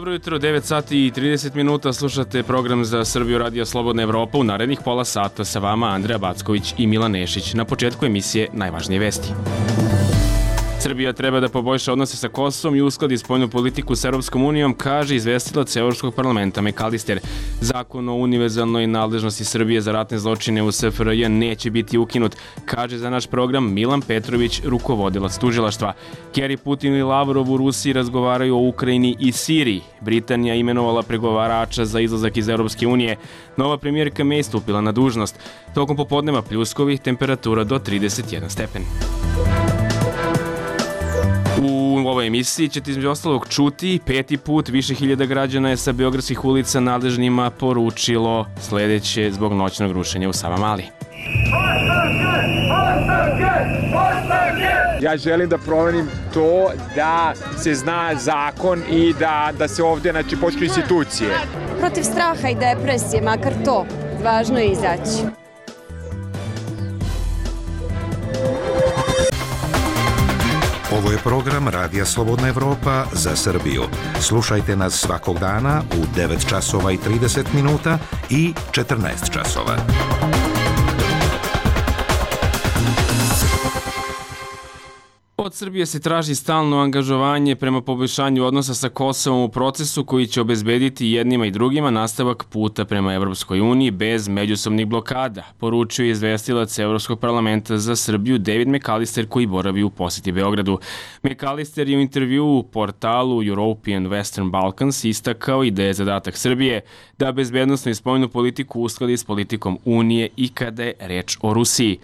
Dobro jutro, 9 sati i 30 minuta, slušate program za Srbiju Radio Slobodna Evropa. U narednih pola sata sa vama Andreja Backović i Milan Nešić. Na početku emisije najvažnije vesti. Srbija treba da poboljša odnose sa Kosovom i uskladi spoljnu politiku s Europskom unijom, kaže izvestilac Evropskog parlamenta McAllister. Zakon o univerzalnoj nadležnosti Srbije za ratne zločine u SFRJ neće biti ukinut, kaže za naš program Milan Petrović, rukovodilac tužilaštva. Kerry, Putin i Lavrov u Rusiji razgovaraju o Ukrajini i Siriji. Britanija imenovala pregovarača za izlazak iz Europske unije. Nova premijerka May stupila na dužnost. Tokom popodneva pljuskovi, temperatura do 31 stepen. U ovoj emisiji ćete između ostalog čuti 5. put više hiljada građana je sa beogradskih ulica nadležnima poručilo sledeće zbog noćnog rušenja u Savamali. Ja želim da promenim to da se zna zakon i da se ovdje počnu institucije. Protiv straha i depresije, makar to, važno je izaći. Ovo je program Radija Slobodna Evropa za Srbiju. Slušajte nas svakog dana u 9 časova i 30 minuta i 14 časova. Od Srbije se traži stalno angažovanje prema poboljšanju odnosa sa Kosovom u procesu koji će obezbediti jednima i drugima nastavak puta prema Evropskoj uniji bez međusobnih blokada, poručio je izvestilac Evropskog parlamenta za Srbiju David McAllister koji boravi u poseti Beogradu. McAllister je u intervjuu u portalu European Western Balkans istakao i da je zadatak Srbije da bezbednosnu i spoljnu politiku uskladi s politikom Unije i kada je reč o Rusiji.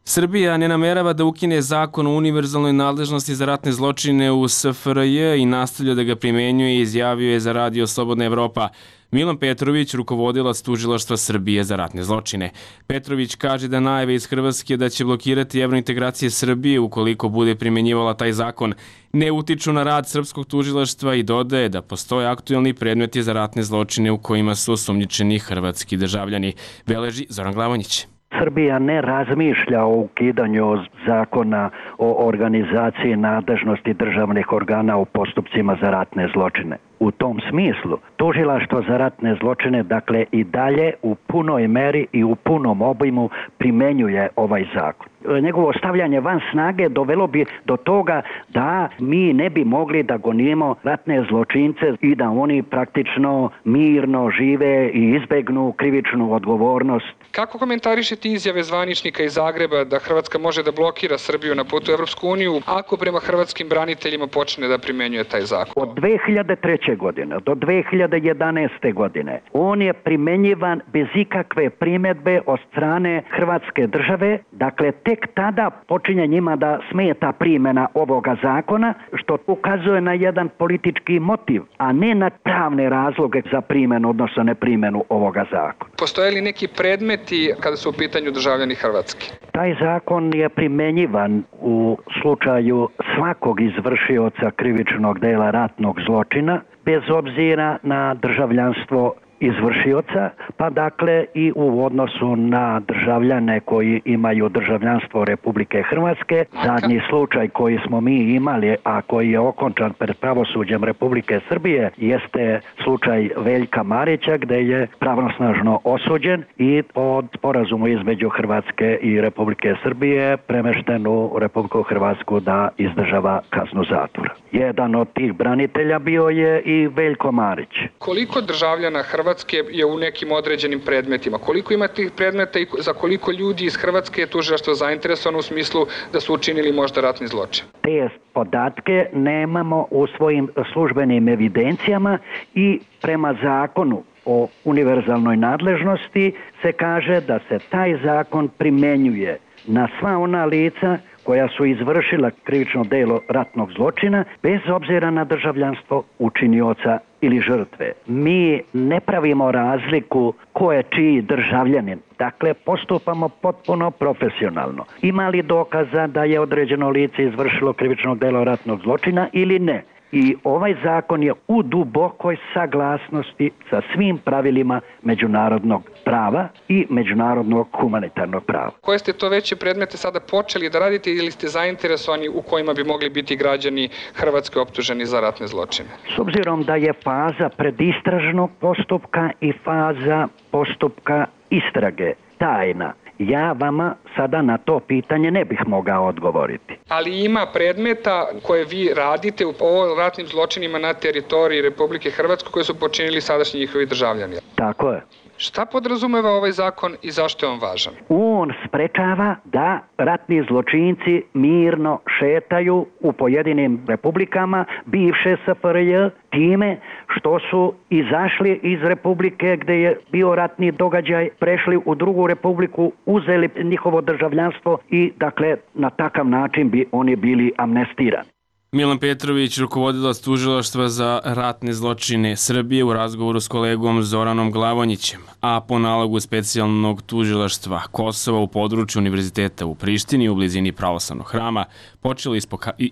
Srbija ne namerava da ukine zakon o univerzalnoj nadležnosti za ratne zločine u SFRJ i nastavlja da ga primenjuje, izjavio je za Radio Slobodna Evropa Milan Petrović, rukovodilac tužilaštva Srbije za ratne zločine. Petrović kaže da najave iz Hrvatske da će blokirati evrointegracije Srbije ukoliko bude primenjivala taj zakon ne utiču na rad srpskog tužilaštva i dodaje da postoje aktuelni predmeti za ratne zločine u kojima su osumnjičeni hrvatski državljani. Beleži Zoran Glavonjić. Srbija ne razmišlja o ukidanju zakona o organizaciji nadležnosti državnih organa u postupcima za ratne zločine. U tom smislu, tužilaštvo za ratne zločine, dakle, i dalje u punoj meri i u punom obimu primenjuje ovaj zakon. Njegovo stavljanje van snage dovelo bi do toga da mi ne bi mogli da gonimo ratne zločince i da oni praktično mirno žive i izbegnu krivičnu odgovornost. Kako komentarišete izjave zvaničnika iz Zagreba da Hrvatska može da blokira Srbiju na putu u Evropsku uniju ako prema hrvatskim braniteljima počne da primenjuje taj zakon? Od 2003. godine do 2011. godine on je primenjivan bez ikakve primjedbe od strane Hrvatske države, dakle tek tada počinje njima da smeta primjena ovoga zakona, što ukazuje na jedan politički motiv, a ne na pravne razloge za primjenu, odnosno neprimjenu ovoga zakona. Postoje li neki predmeti kada su u pitanju državljani Hrvatske? Taj zakon je primenjivan u slučaju svakog izvršioca krivičnog dela ratnog zločina, bez obzira na državljanstvo izvršioca, pa dakle i u odnosu na državljane koji imaju državljanstvo Republike Hrvatske. Zadnji slučaj koji smo mi imali, a koji je okončan pred pravosuđem Republike Srbije, jeste slučaj Veljka Marića, gde je pravnosnažno osuđen i pod sporazumu između Hrvatske i Republike Srbije premešten u Republiku Hrvatsku da izdržava kaznu zatvora. Jedan od tih branitelja bio je i Veljko Marić. Koliko državljana Hrvatske je u nekim određenim predmetima? Koliko ima tih predmeta i za koliko ljudi iz Hrvatske je tužilaštvo zainteresovano u smislu da su učinili možda ratni zločin? Te podatke nemamo u svojim službenim evidencijama i prema zakonu o univerzalnoj nadležnosti se kaže da se taj zakon primenjuje na sva ona lica koja su izvršila krivično delo ratnog zločina bez obzira na državljanstvo učinioca ili žrtve. Mi ne pravimo razliku ko je čiji državljanin. Dakle, postupamo potpuno profesionalno. Ima li dokaza da je određeno lice izvršilo krivično delo ratnog zločina ili ne? I ovaj zakon je u dubokoj saglasnosti sa svim pravilima međunarodnog prava i međunarodnog humanitarnog prava. Koje ste to veće predmete sada počeli da radite ili ste zainteresovani u kojima bi mogli biti građani Hrvatske optuženi za ratne zločine? S obzirom da je faza predistražnog postupka i faza postupka istrage tajna, ja vama sada na to pitanje ne bih mogao odgovoriti. Ali ima predmeta koje vi radite o ratnim zločinima na teritoriji Republike Hrvatske koje su počinili sadašnji njihovi državljani. Tako je. Šta podrazumeva ovaj zakon i zašto je on važan? On sprečava da ratni zločinci mirno šetaju u pojedinim republikama bivše SFRJ time što su izašli iz republike gde je bio ratni događaj, prešli u drugu republiku, uzeli njihovo državljanstvo i dakle na takav način bi oni bili amnestirani. Milan Petrović, rukovodilac tužilaštva za ratne zločine Srbije u razgovoru s kolegom Zoranom Glavonjićem, a po nalogu specijalnog tužilaštva Kosova u području Univerziteta u Prištini u blizini pravoslavnog hrama počelo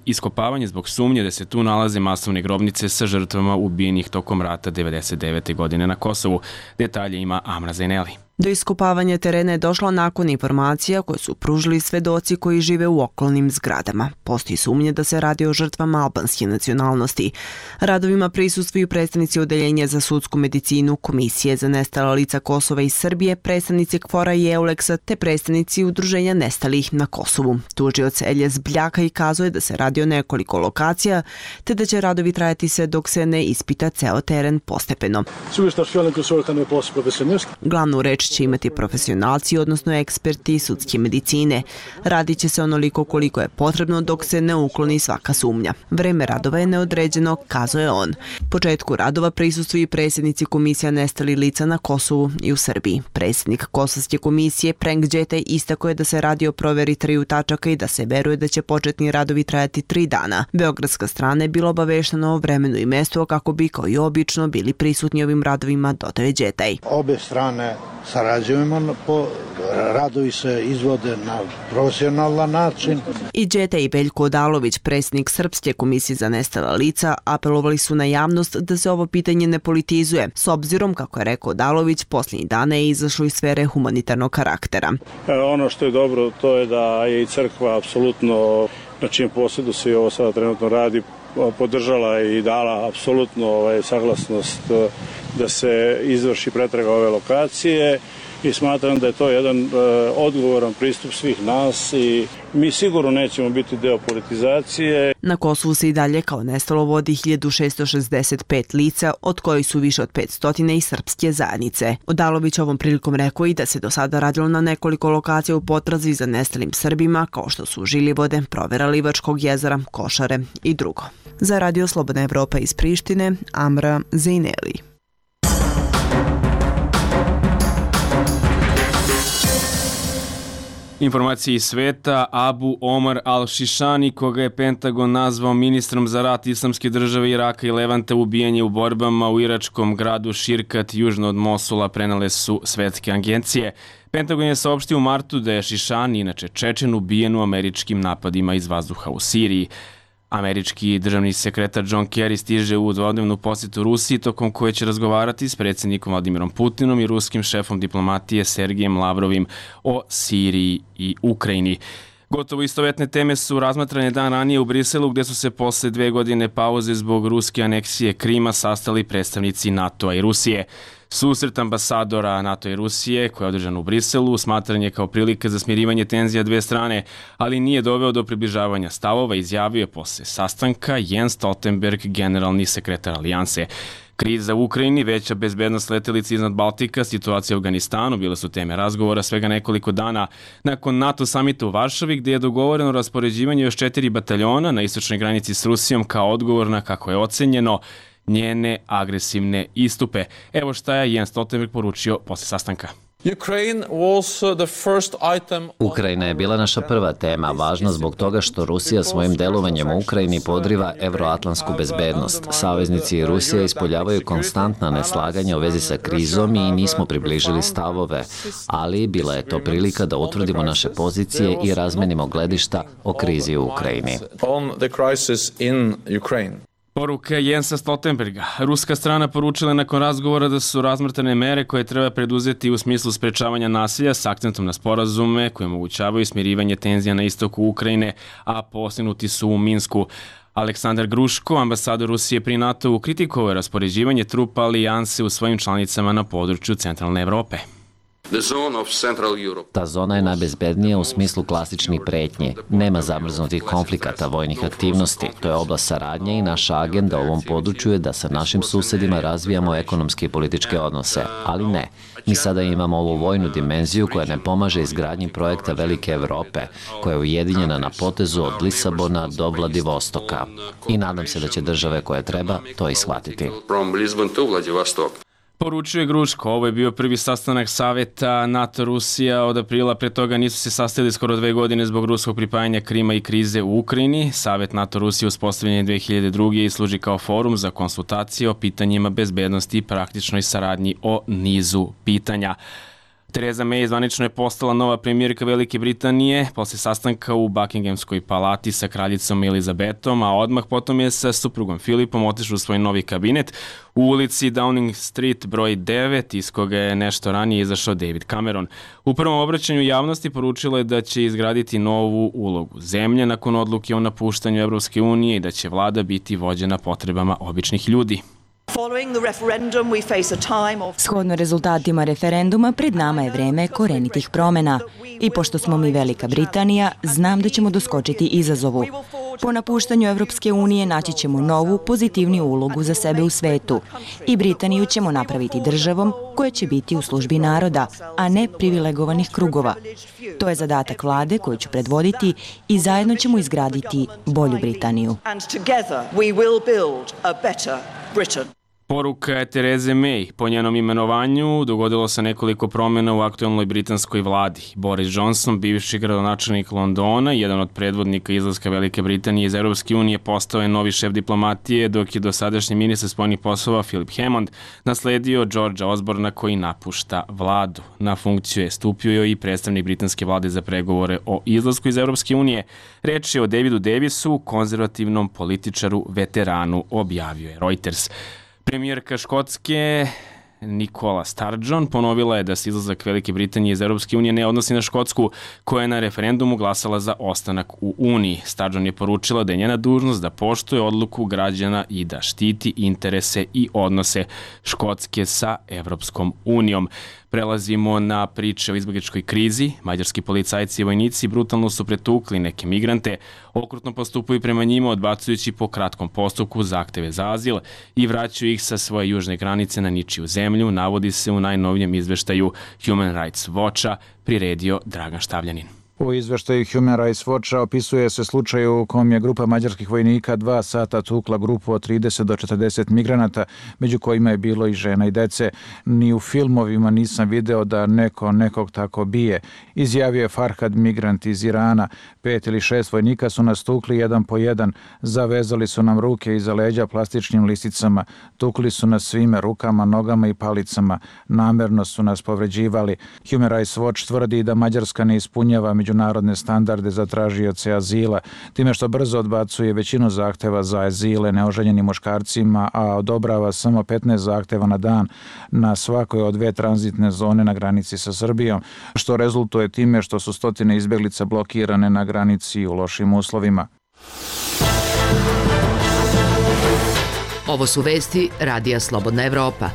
iskopavanje zbog sumnje da se tu nalaze masovne grobnice sa žrtvama ubijenih tokom rata 1999. godine na Kosovu. Detalje ima Amra Zaineli. Do iskopavanja terena je došlo nakon informacija koje su pružili svedoci koji žive u okolnim zgradama. Postoji sumnje da se radi o žrtvama albanske nacionalnosti. Radovima prisustvuju predstavnici Odeljenja za sudsku medicinu, Komisije za nestala lica Kosova i Srbije, predstavnici KFOR-a i EULEX-a te predstavnici Udruženja nestalih na Kosovu. Tužioc Eljes Bljaka i kazuje da se radi o nekoliko lokacija te da će radovi trajati sve dok se ne ispita ceo teren postepeno. Glavnu reč će imati profesionalci, odnosno eksperti sudske medicine. Radit će se onoliko koliko je potrebno dok se ne ukloni svaka sumnja. Vreme radova je neodređeno, kazuje on. Početku radova prisustvuju i predsjednici Komisija nestalih lica na Kosovu i u Srbiji. Predsjednik Kosovske komisije Prenk Đetej istakao je da se radi o proveri 3 tačaka i da se veruje da će početni radovi trajati 3 dana. Beogradska strana je bila obaveštena o vremenu i mestu kako bi kao i obično bili prisutni ovim radovima, dodaje Đetej. Obe strane sarađujemo, radovi se izvode na profesionalan način. I Đetej i Veljko Odalović, predsjednik Srpske komisije za nestala lica, apelovali su na javnost da se ovo pitanje ne politizuje, s obzirom, kako je rekao Odalović, posljednjih dana je izašlo iz sfere humanitarnog karaktera. Ono što je dobro, to je da je i crkva apsolutno, na čijem posjedu se i ovo sada trenutno radi, podržala i dala apsolutno saglasnost da se izvrši pretraga ove lokacije i smatram da je to jedan odgovoran pristup svih nas i mi sigurno nećemo biti deo politizacije. Na Kosovu se i dalje kao nestalo vodi 1665 lica, od kojih su više od 500 i srpske zajednice. Odalović ovom prilikom rekao i da se do sada radilo na nekoliko lokacija u potrazi za nestalim Srbima, kao što su Žilivode, provera Livačkog jezera, Košare i drugo. Za Radio Slobodna Evropa iz Prištine, Amra Zaineli. Informacije iz sveta, Abu Omar al-Šišani, koga je Pentagon nazvao ministrom za rat Islamske države Iraka i Levanta, ubijanje u borbama u iračkom gradu Širkat, južno od Mosula, prenale su svetske agencije. Pentagon je saopštio u martu da je Šišani, inače Čečen, ubijen u američkim napadima iz vazduha u Siriji. Američki državni sekretar John Kerry stiže u dvodnevnu posjetu Rusiji, tokom koje će razgovarati s predsjednikom Vladimirom Putinom i ruskim šefom diplomatije Sergejem Lavrovim o Siriji i Ukrajini. Gotovo istovetne teme su razmatrane dan ranije u Briselu, gde su se posle 2 godine pauze zbog ruske aneksije Krima sastali predstavnici NATO-a i Rusije. Susret ambasadora NATO i Rusije, koji je održan u Briselu, smatran je kao prilika za smirivanje tenzija dve strane, ali nije doveo do približavanja stavova, izjavio je posle sastanka Jens Stoltenberg, generalni sekretar alijanse. Kriza u Ukrajini, veća bezbednost letelice iznad Baltika, situacija u Afganistanu bile su teme razgovora svega nekoliko dana nakon NATO samita u Varšavi, gdje je dogovoreno raspoređivanje još 4 bataljona na istočnoj granici s Rusijom kao odgovor na, kako je ocenjeno, njene agresivne istupe. Evo šta je Jens Stoltenberg poručio posle sastanka. Ukrajina je bila naša prva tema, važna zbog toga što Rusija svojim delovanjem u Ukrajini podriva evroatlantsku bezbednost. Saveznici i Rusija ispoljavaju konstantna neslaganja u vezi sa krizom i nismo približili stavove, ali bila je to prilika da utvrdimo naše pozicije i razmenimo gledišta o krizi u Ukrajini. Poruka Jensa Stoltenberga. Ruska strana poručila nakon razgovora da su razmatrane mere koje treba preduzeti u smislu sprečavanja nasilja s akcentom na sporazume koje omogućavaju smirivanje tenzija na istoku Ukrajine, a postignuti su u Minsku. Aleksandar Gruško, ambasador Rusije pri NATO-u, kritikovao je raspoređivanje trupa alijanse u svojim članicama na području centralne Evrope. Ta zona je najbezbednija u smislu klasičnih pretnji. Nema zamrznutih konflikata, vojnih aktivnosti. To je oblast saradnje i naša agenda u ovom području je da sa našim susedima razvijamo ekonomske i političke odnose. Ali ne, mi sada imamo ovu vojnu dimenziju koja ne pomaže izgradnji projekta Velike Evrope, koja je ujedinjena na potezu od Lisabona do Vladivostoka. I nadam se da će države koje treba to i shvatiti. Poručuje Gruško, ovo je bio prvi sastanak saveta NATO-Rusija od aprila, pre toga nisu se sastali skoro 2 godine zbog ruskog pripajanja Krima i krize u Ukrajini. Savet NATO-Rusija uspostavljen je 2002. i služi kao forum za konsultacije o pitanjima bezbednosti i praktičnoj saradnji o nizu pitanja. Theresa May zvanično je postala nova premijerka Velike Britanije posle sastanka u Buckinghamskoj palati sa kraljicom Elizabetom, a odmah potom je sa suprugom Filipom otišao u svoj novi kabinet u ulici Downing Street broj 9, iz koga je nešto ranije izašao David Cameron. U prvom obraćanju javnosti poručila je da će izgraditi novu ulogu zemlje nakon odluke o napuštanju Evropske unije i da će vlada biti vođena potrebama običnih ljudi. Shodno rezultatima referenduma, pred nama je vreme korenitih promena. I pošto smo mi Velika Britanija, znam da ćemo doskočiti izazovu. Po napuštanju Evropske unije naći ćemo novu, pozitivniju ulogu za sebe u svetu. I Britaniju ćemo napraviti državom koja će biti u službi naroda, a ne privilegovanih krugova. To je zadatak vlade koju ću predvoditi i zajedno ćemo izgraditi bolju Britaniju. Poruka je Therese May. Po njenom imenovanju dogodilo se nekoliko promjena u aktualnoj britanskoj vladi. Boris Johnson, bivši gradonačelnik Londona, jedan od predvodnika izlaska Velike Britanije iz Europske unije, postao je novi šef diplomatije, dok je dosadašnji ministar spoljnih poslova Philip Hammond nasledio Georgea Osborna koji napušta vladu. Na funkciju je stupio i predstavnik britanske vlade za pregovore o izlasku iz Europske unije. Reč je o Davidu Davisu, konzervativnom političaru, veteranu, objavio je Reuters. Premijerka Škotske Nicola Sturgeon ponovila je da se izlazak Velike Britanije iz Europske unije ne odnosi na Škotsku, koja je na referendumu glasala za ostanak u Uniji. Sturgeon je poručila da je njena dužnost da poštuje odluku građana i da štiti interese i odnose Škotske sa Evropskom unijom. Prelazimo na priče o izbjegličkoj krizi. Mađarski policajci i vojnici brutalno su pretukli neke migrante, okrutno postupaju prema njima odbacujući po kratkom postupku zahteve za azil i vraćaju ih sa svoje južne granice na ničiju zemlju, navodi se u najnovijem izveštaju Human Rights Watcha, priredio Dragan Štavljanin. U izveštaju Human Rights Watcha opisuje se slučaj u kom je grupa mađarskih vojnika 2 sata tukla grupu od 30 do 40 migranata, među kojima je bilo i žena i dece. Ni u filmovima nisam video da neko nekog tako bije. Izjavio je Farhad, migrant iz Irana. 5 ili 6 vojnika su nas tukli jedan po jedan. Zavezali su nam ruke iza leđa plastičnim lisicama. Tukli su nas svime, rukama, nogama i palicama. Namerno su nas povređivali. Human Rights Watch tvrdi da Mađarska ne ispunjava međunarodne standarde za tražioce azila, time što brzo odbacuje većinu zahteva za azile neoženjenim muškarcima, a odobrava samo 15 zahteva na dan na svakoj od 2 tranzitne zone na granici sa Srbijom, što rezultuje time što su stotine izbjeglica blokirane na granici u lošim uslovima. Ovo su vesti Radija Slobodna Evropa.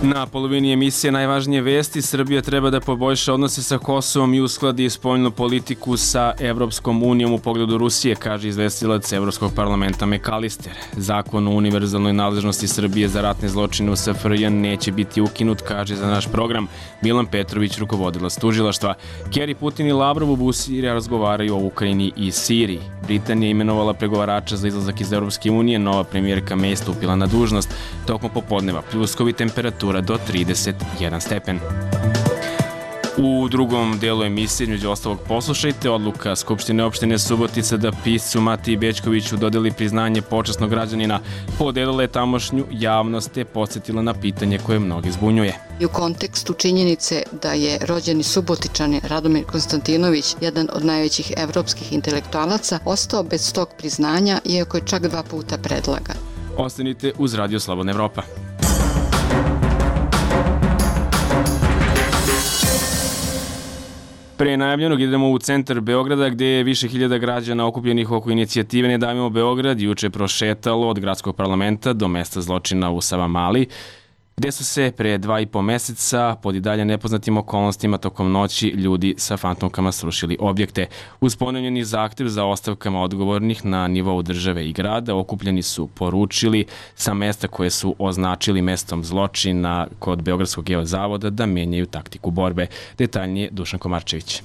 Na polovini emisije najvažnije vesti, Srbija treba da poboljša odnose sa Kosovom i uskladi spoljnu politiku sa Evropskom unijom u pogledu Rusije, kaže izvestilac Evropskog parlamenta McAllister. Zakon o univerzalnoj nadležnosti Srbije za ratne zločine u SFRJ neće biti ukinut, kaže za naš program Milan Petrović, rukovodilac tužilaštva. Kerry, Putin i Lavrov u Busiri razgovaraju o Ukrajini i Siriji. Britanija je imenovala pregovarača za izlazak iz Evropske unije, nova premijerka May stupila na dužnost. Tokom popodneva pljuskovi, temperatura do 31 stepen. U drugom delu emisije, među ostalog, poslušajte odluka Skupštine opštine Subotica da piscu Matiji Bećkoviću dodeli priznanje počasnog građanina, podelila je tamošnju javnost te podsjetila na pitanje koje mnogi zbunjuje. I u kontekstu činjenice da je rođeni Subotičanin Radomir Konstantinović, jedan od najvećih evropskih intelektualaca, ostao bez tog priznanja, iako je čak 2 puta predlagan. Ostanite uz Radio Slobodna Evropa. Pre najavljenog idemo u centar Beograda gde je više hiljada građana okupljenih oko inicijative Ne davimo Beograd juče prošetalo od gradskog parlamenta do mesta zločina u Savamali, gde su se pre 2,5 meseca pod i dalje nepoznatim okolnostima tokom noći ljudi sa fantomkama srušili objekte. Uz ponovljeni zahtev za ostavkama odgovornih na nivou države i grada, okupljeni su poručili sa mesta koje su označili mestom zločina kod Beogradskog geozavoda da menjaju taktiku borbe. Detaljnije Dušan Komarčević.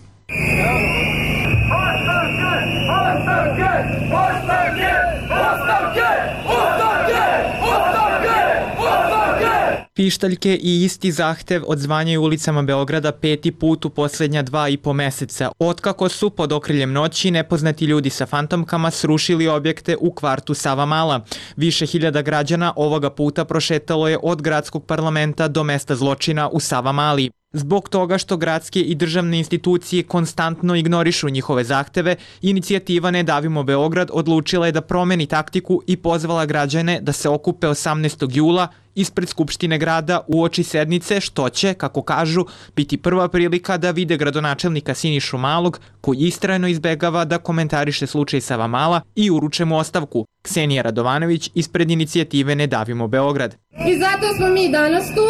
Pištaljke i isti zahtev odzvanjaju ulicama Beograda 5. put u posljednja 2,5 meseca, otkako su pod okriljem noći nepoznati ljudi sa fantomkama srušili objekte u kvartu Savamala. Više hiljada građana ovoga puta prošetalo je od gradskog parlamenta do mesta zločina u Savamali. Zbog toga što gradske i državne institucije konstantno ignorišu njihove zahteve, inicijativa Ne davimo Beograd odlučila je da promeni taktiku i pozvala građane da se okupe 18. jula ispred Skupštine grada uoči sednice, što će, kako kažu, biti prva prilika da vide gradonačelnika Sinišu Malog, koji istrajno izbegava da komentariše slučaj Savamala i uruče mu ostavku. Ksenija Radovanović ispred inicijative Ne davimo Beograd. I zato smo mi danas tu,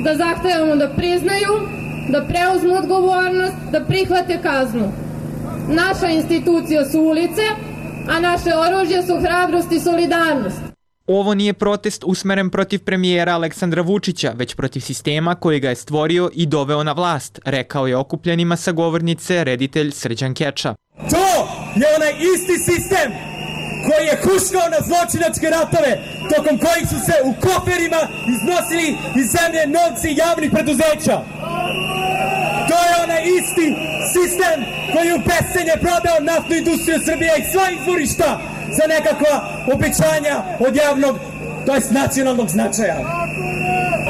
da zahtevamo da priznaju, da preuzmu odgovornost, da prihvate kaznu. Naša institucija su ulice, a naše oružje su hrabrost i solidarnost. Ovo nije protest usmeren protiv premijera Aleksandra Vučića, već protiv sistema koji ga je stvorio i doveo na vlast, rekao je okupljenima sa govornice reditelj Srđan Keča. To je onaj isti sistem koji je huškao na zločinačke ratove, tokom kojih su se u koferima iznosili iz zemlje novci javnih preduzeća. To je onaj isti sistem koji je u bescenje prodao naftnu industriju Srbije i sva izvorišta za nekakva obećanja od javnog, to jest nacionalnog značaja.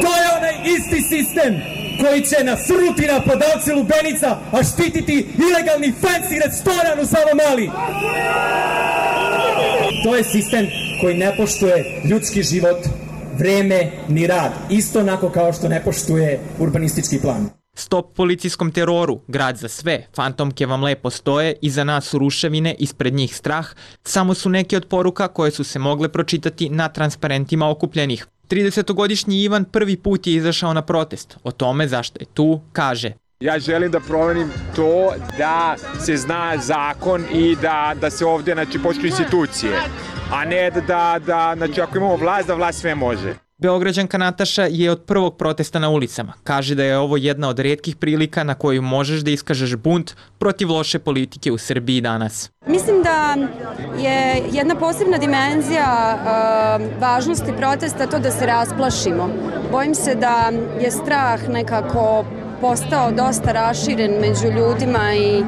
To je onaj isti sistem koji će nasrnuti na prodavce lubenica, a štititi ilegalni fancy restoran u Savamali. To je sistem koji ne poštuje ljudski život, vreme ni rad, isto onako kao što ne poštuje urbanistički plan. Stop policijskom teroru, grad za sve, fantomke vam lepo stoje, iza nas su ruševine, ispred njih strah, samo su neke od poruka koje su se mogle pročitati na transparentima okupljenih. 30-godišnji Ivan prvi put je izašao na protest. O tome zašto je tu, kaže: Ja želim da promenim to da se zna zakon i da se ovdje poštuju institucije, a ne da ako imamo vlast, da vlast sve može. Beograđanka Nataša je od prvog protesta na ulicama. Kaže da je ovo jedna od retkih prilika na koju možeš da iskažeš bunt protiv loše politike u Srbiji danas. Mislim da je jedna posebna dimenzija važnosti protesta to da se rasplašimo. Bojim se da je strah nekako postao dosta raširen među ljudima i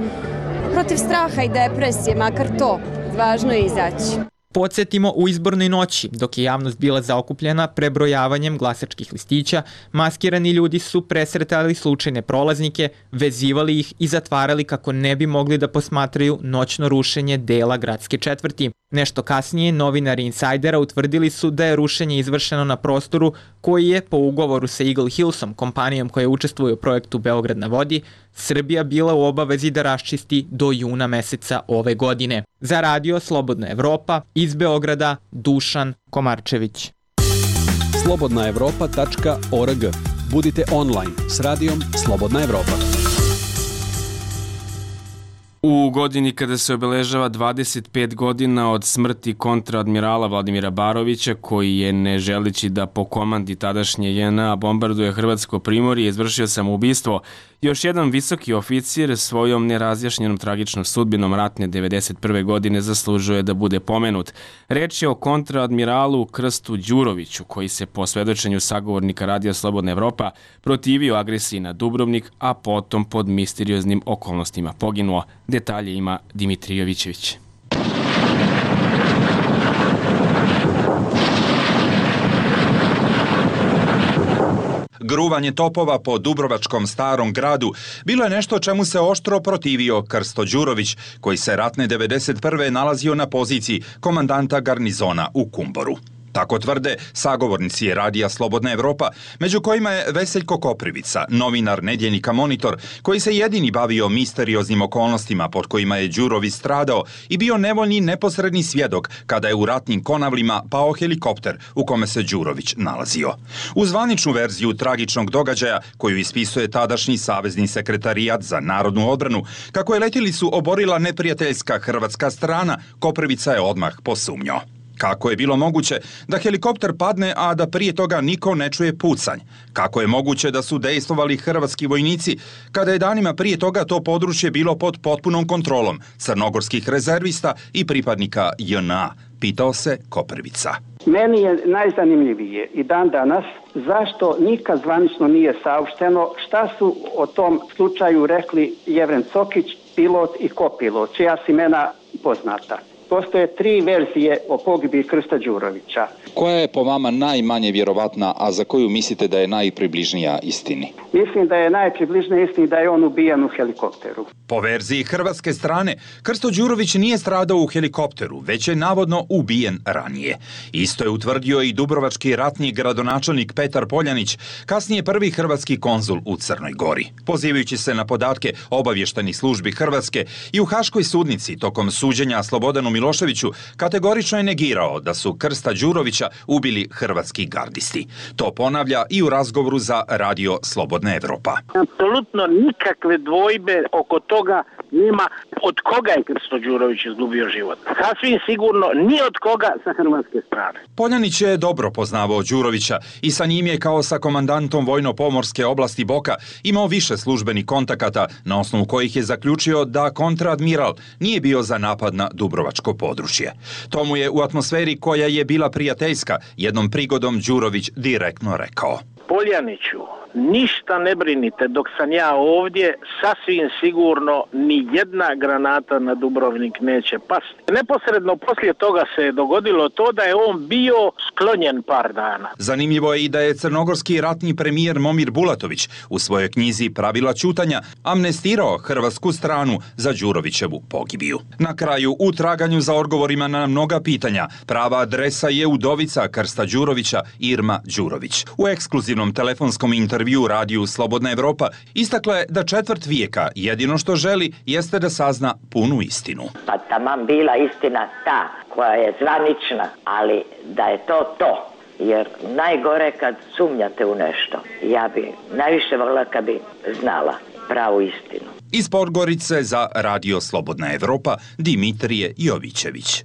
protiv straha i depresije, makar to, važno je izaći. Podsjetimo, u izbornoj noći, dok je javnost bila zaokupljena prebrojavanjem glasačkih listića, maskirani ljudi su presretali slučajne prolaznike, vezivali ih i zatvarali kako ne bi mogli da posmatraju noćno rušenje dela gradske četvrti. Nešto kasnije, novinari Insajdera utvrdili su da je rušenje izvršeno na prostoru koji je, po ugovoru sa Eagle Hillsom, kompanijom koja učestvuje u projektu Beograd na vodi, Srbija bila u obavezi da raščisti do juna meseca ove godine. Za Radio Slobodna Evropa, iz Beograda, Dušan Komarčević. slobodnaevropa.org. Budite online s radijom Slobodna Evropa. U godini kada se obeležava 25 godina od smrti kontraadmirala Vladimira Barovića, koji je, ne želeći da po komandi tadašnje JNA bombarduje Hrvatsko primorje, izvršio samoubistvo, Još jedan visoki oficir svojom nerazjašnjenom tragičnom sudbinom ratne 1991. godine zaslužuje da bude pomenut. Reč je o kontraadmiralu Krstu Đuroviću, koji se po svedočenju sagovornika Radija Slobodna Evropa protivio agresiji na Dubrovnik, a potom pod misterioznim okolnostima poginuo. Detalje ima Dimitrij Jovićević. Gruvanje topova po Dubrovačkom Starom gradu bilo je nešto čemu se oštro protivio Krsto Đurović, koji se ratne 1991. nalazio na poziciji komandanta garnizona u Kumboru. Tako tvrde sagovornici Radija Slobodna Evropa, među kojima je Veseljko Koprivica, novinar nedjeljnika Monitor, koji se jedini bavio misterioznim okolnostima pod kojima je Đurović stradao i bio nevoljni neposredni svjedok kada je u ratnim Konavlima pao helikopter u kome se Đurović nalazio. U zvaničnu verziju tragičnog događaja, koju ispisuje tadašnji savezni sekretarijat za narodnu odbranu, kako je letjelicu oborila neprijateljska hrvatska strana, Koprivica je odmah posumnjao. Kako je bilo moguće da helikopter padne, a da prije toga niko ne čuje pucanj? Kako je moguće da su dejstvovali hrvatski vojnici kada je danima prije toga to područje bilo pod potpunom kontrolom crnogorskih rezervista i pripadnika JNA? Pitao se Koprivica. Meni je najzanimljivije i dan danas zašto nikad zvanično nije saopšteno šta su o tom slučaju rekli Jevren Cokić, pilot i kopilot, čija su imena poznata. Postoje 3 verzije o pogibiji Krsta Đurovića. Koja je po vama najmanje vjerovatna, a za koju mislite da je najpribližnija istini? Mislim da je najpribližnija istini da je on ubijen u helikopteru. Po verziji hrvatske strane, Krsto Đurović nije stradao u helikopteru, već je navodno ubijen ranije. Isto je utvrdio i dubrovački ratni gradonačelnik Petar Poljanić, kasnije prvi hrvatski konzul u Crnoj Gori. Pozivajući se na podatke obavještajnih službi Hrvatske i u Haškoj sudnici tokom suđenja Slobodanu Miloševiću, kategorično je negirao da su Krsta Đurovića ubili hrvatski gardisti. To ponavlja i u razgovoru za Radio Slobodna Evropa. Apsolutno nikakve dvojbe oko toga nema od koga je Krsto Đurović izgubio život. Sasvim sigurno ni od koga sa hrvatske strane. Poljanić je dobro poznavao Đurovića i sa njim je kao sa komandantom vojno-pomorske oblasti Boka imao više službenih kontakata, na osnovu kojih je zaključio da kontraadmiral nije bio za napad na Dubrovačko područje. To mu je u atmosferi koja je bila prijateljska jednom prigodom Đurović direktno rekao. Poljaniću, ništa ne brinite, dok sam ja ovdje, sasvim sigurno ni jedna granata na Dubrovnik neće pasti. Neposredno poslije toga se je dogodilo to da je on bio sklonjen par dana. Zanimljivo je i da je crnogorski ratni premijer Momir Bulatović u svojoj knjizi Pravila ćutanja amnestirao hrvatsku stranu za Đurovićevu pogibiju. Na kraju, u traganju za odgovorima na mnoga pitanja, prava adresa je udovica Krsta Đurovića, Irma Đurović. U ekskluzivnom telefonskom intervju Radiju Slobodna Evropa istakla je da 1/4 vijeka jedino što želi jeste da sazna punu istinu. Pa taman bila istina ta koja je zvanična, ali da je to. Jer najgore kad sumnjate u nešto. Ja bi najviše volila kad bi znala pravu istinu. Iz Podgorice za Radio Slobodna Evropa, Dimitrije Jovićević.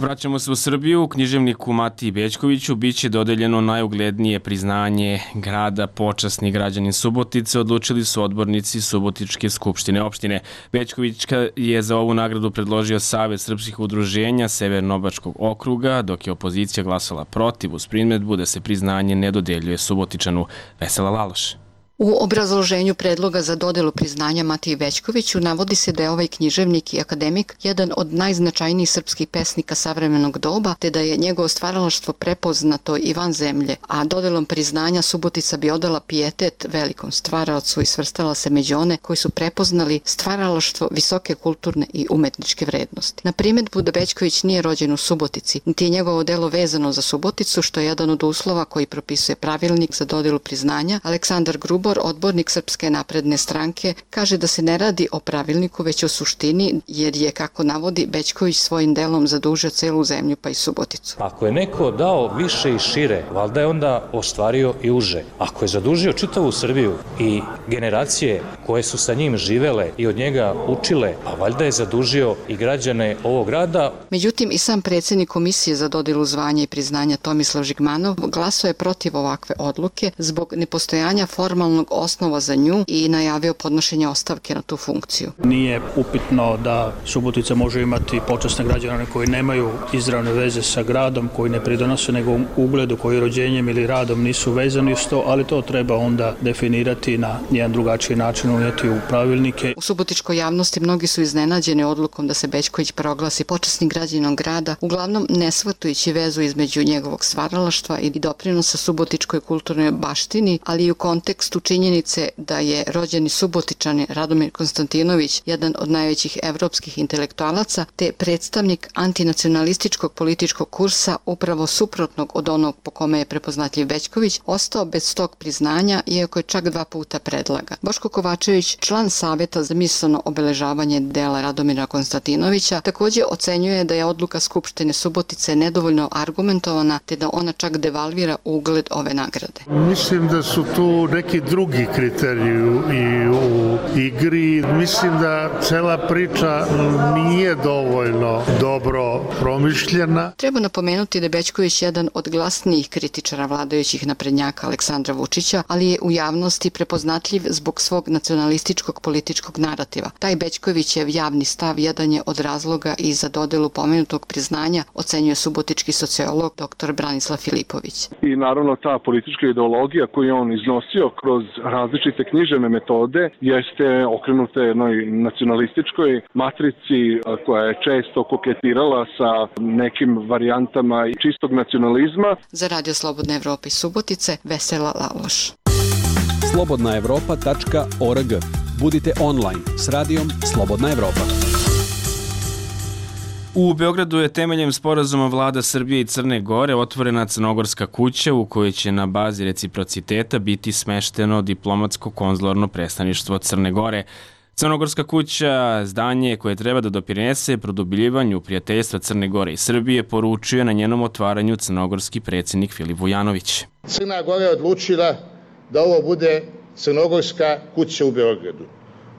Vraćamo se u Srbiju. Književniku Matiji Bećkoviću biće dodeljeno najuglednije priznanje grada, počasni građanin Subotice, odlučili su odbornici Subotičke skupštine opštine. Bećkovićka je za ovu nagradu predložio Savet srpskih udruženja Severno-Bačkog okruga, dok je opozicija glasala protiv uz primedbu da se priznanje ne dodeljuje Subotičanu. Vesela Laloš. U obrazloženju predloga za dodelu priznanja Matiji Bećkoviću navodi se da je ovaj književnik i akademik jedan od najznačajnijih srpskih pesnika savremenog doba, te da je njegovo stvaralaštvo prepoznato i van zemlje, a dodelom priznanja Subotica bi odala pijetet velikom stvaraocu i svrstala se među one koji su prepoznali stvaralaštvo visoke kulturne i umetničke vrednosti. Na primedbu da Bećković nije rođen u Subotici, niti je njegovo delo vezano za Suboticu, što je jedan od uslova koji propisuje pravilnik za dodelu priznanja, Aleksandar Grubo Tibor, odbornik Srpske napredne stranke, kaže da se ne radi o pravilniku, već o suštini, jer je, kako navodi, Bećković svojim delom zadužio celu zemlju pa i Suboticu. Ako je neko dao više i šire, valjda je onda ostvario i uže. Ako je zadužio čitavu Srbiju i generacije koje su sa njim živele i od njega učile, pa valjda je zadužio i građane ovog grada. Međutim, i sam predsjednik Komisije za dodelu zvanja i priznanja Tomislav Žigmanov glasuje protiv ovakve odluke zbog nepostojanja formalnog osnova za nju i najavio podnošenje ostavke na tu funkciju. Nije upitno da Subotica može imati počasne građane koji nemaju izravne veze sa gradom, koji ne pridonose nego ugledu, koji rođenjem ili radom nisu vezani s to, ali to treba onda definirati na jedan drugačiji način, unijeti u pravilnike. U subotičkoj javnosti mnogi su iznenađeni odlukom da se Bećković proglasi počasnim građaninom grada, uglavnom ne shvatajući vezu između njegovog stvaralaštva i doprinosa subotičkoj kulturnoj baštini, ali i u kontekstu činjenice da je rođeni Subotičanin Radomir Konstantinović jedan od najvećih evropskih intelektualaca, te predstavnik antinacionalističkog političkog kursa upravo suprotnog od onog po kome je prepoznatljiv Bećković, ostao bez tog priznanja, iako je čak 2 puta predlaga. Boško Kovačević, član Saveta za misaono obeležavanje dela Radomira Konstantinovića, također ocenjuje da je odluka Skupštine Subotice nedovoljno argumentovana, te da ona čak devalvira ugled ove nagrade. Mislim da su tu neki drugi kriteriji i u igri. Mislim da cela priča nije dovoljno dobro promišljena. Treba napomenuti da je Bećković jedan od glasnijih kritičara vladajućih naprednjaka Aleksandra Vučića, ali je u javnosti prepoznatljiv zbog svog nacionalističkog političkog narativa. Taj Bećkovićev javni stav jedan je od razloga i za dodelu pomenutog priznanja, ocenjuje subotički sociolog dr. Branislav Filipović. I naravno ta politička ideologija koju on iznosio kroz različite književne metode jeste okrenuta jednoj nacionalističkoj matrici koja je često koketirala sa nekim varijantama čistog nacionalizma. Za Radio Slobodna Evropa iz Subotice, Vesela Laloš. slobodnaevropa.org. Budite online s radijom Slobodna Evropa. U Beogradu je temeljem sporazuma vlada Srbije i Crne Gore otvorena Crnogorska kuća u kojoj će na bazi reciprociteta biti smešteno diplomatsko-konzularno predstavništvo Crne Gore. Crnogorska kuća, zdanje koje treba da doprinese produbljivanju prijateljstva Crne Gore i Srbije, poručuje na njenom otvaranju crnogorski predsjednik Filip Vujanović. Crna Gora je odlučila da ovo bude Crnogorska kuća u Beogradu,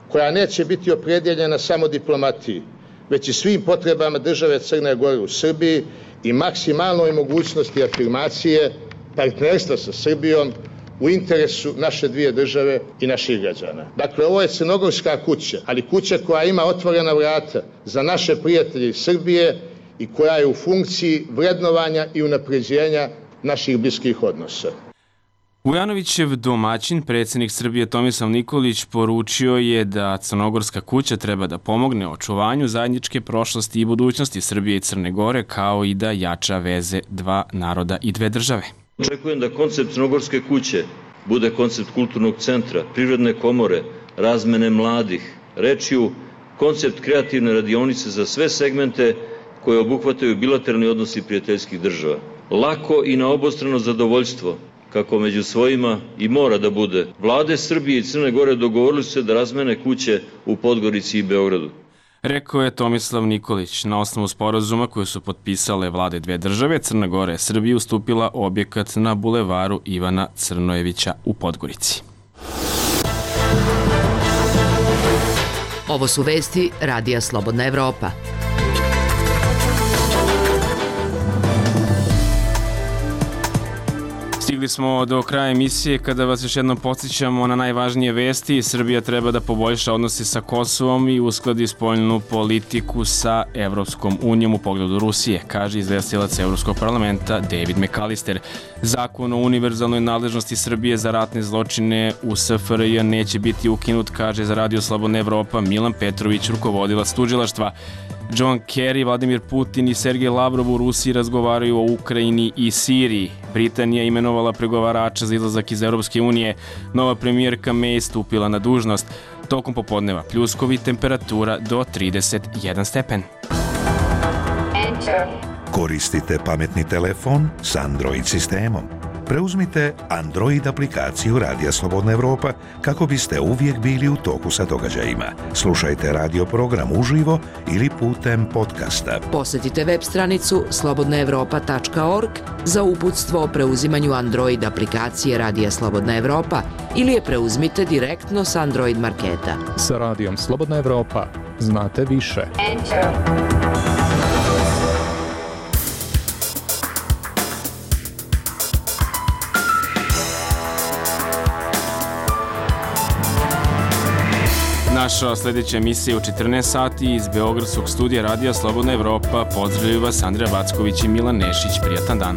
koja neće biti opredjeljena samo diplomatiji, već i svim potrebama države Crne Gore u Srbiji i maksimalnoj mogućnosti afirmacije partnerstva sa Srbijom u interesu naše dvije države i naših građana. Dakle, ovo je Crnogorska kuća, ali kuća koja ima otvorena vrata za naše prijatelje iz Srbije i koja je u funkciji vrednovanja i unapređenja naših bliskih odnosa. Vujanovićev domaćin, predsjednik Srbije Tomislav Nikolić, poručio je da Crnogorska kuća treba da pomogne očuvanju zajedničke prošlosti i budućnosti Srbije i Crne Gore, kao i da jača veze dva naroda i dve države. Očekujem da koncept Crnogorske kuće bude koncept kulturnog centra, privredne komore, razmene mladih, rečju, koncept kreativne radionice za sve segmente koje obuhvataju bilateralni odnosi prijateljskih država. Lako i na obostrano zadovoljstvo, kako među svojima i mora da bude. Vlade Srbije i Crne Gore dogovorili su se da razmene kuće u Podgorici i Beogradu. Rekao je Tomislav Nikolić. Na osnovu sporazuma koje su potpisale vlade dve države, Crna Gora je Srbiji ustupila objekat na bulevaru Ivana Crnojevića u Podgorici. Ovo su vesti Radija Slobodna Evropa. Stigli smo do kraja emisije kada vas još jednom podsjećamo na najvažnije vesti. Srbija treba da poboljša odnose sa Kosovom i uskladi spoljnu politiku sa Evropskom unijom u pogledu Rusije, kaže izvestilac Evropskog parlamenta David McAllister. Zakon o univerzalnoj nadležnosti Srbije za ratne zločine u SFRJ neće biti ukinut, kaže za Radio Slobodna Evropa Milan Petrović, rukovodilac tužilaštva. John Kerry, Vladimir Putin i Sergej Lavrov u Rusiji razgovaraju o Ukrajini i Siriji. Britanija imenovala pregovarača za izlazak iz Europske unije. Nova premijerka May stupila na dužnost. Tokom popodneva pljuskovi, temperatura do 31 stepen. Koristite pametni telefon s Android sistemom. preuzmite Android aplikaciju Radija Slobodna Evropa kako biste uvijek bili u toku sa događajima. Slušajte radio program uživo ili putem podcasta. Posjetite web stranicu slobodnaevropa.org za uputstvo o preuzimanju Android aplikacije Radija Slobodna Evropa ili je preuzmite direktno s Android marketa. Sa Radijom Slobodna Evropa znate više. Naša sljedeća emisija u 14 sati iz Beogradskog studija Radija Slobodna Evropa. Pozdravljaju vas Andreja Backović i Milan Nešić. Prijatan dan.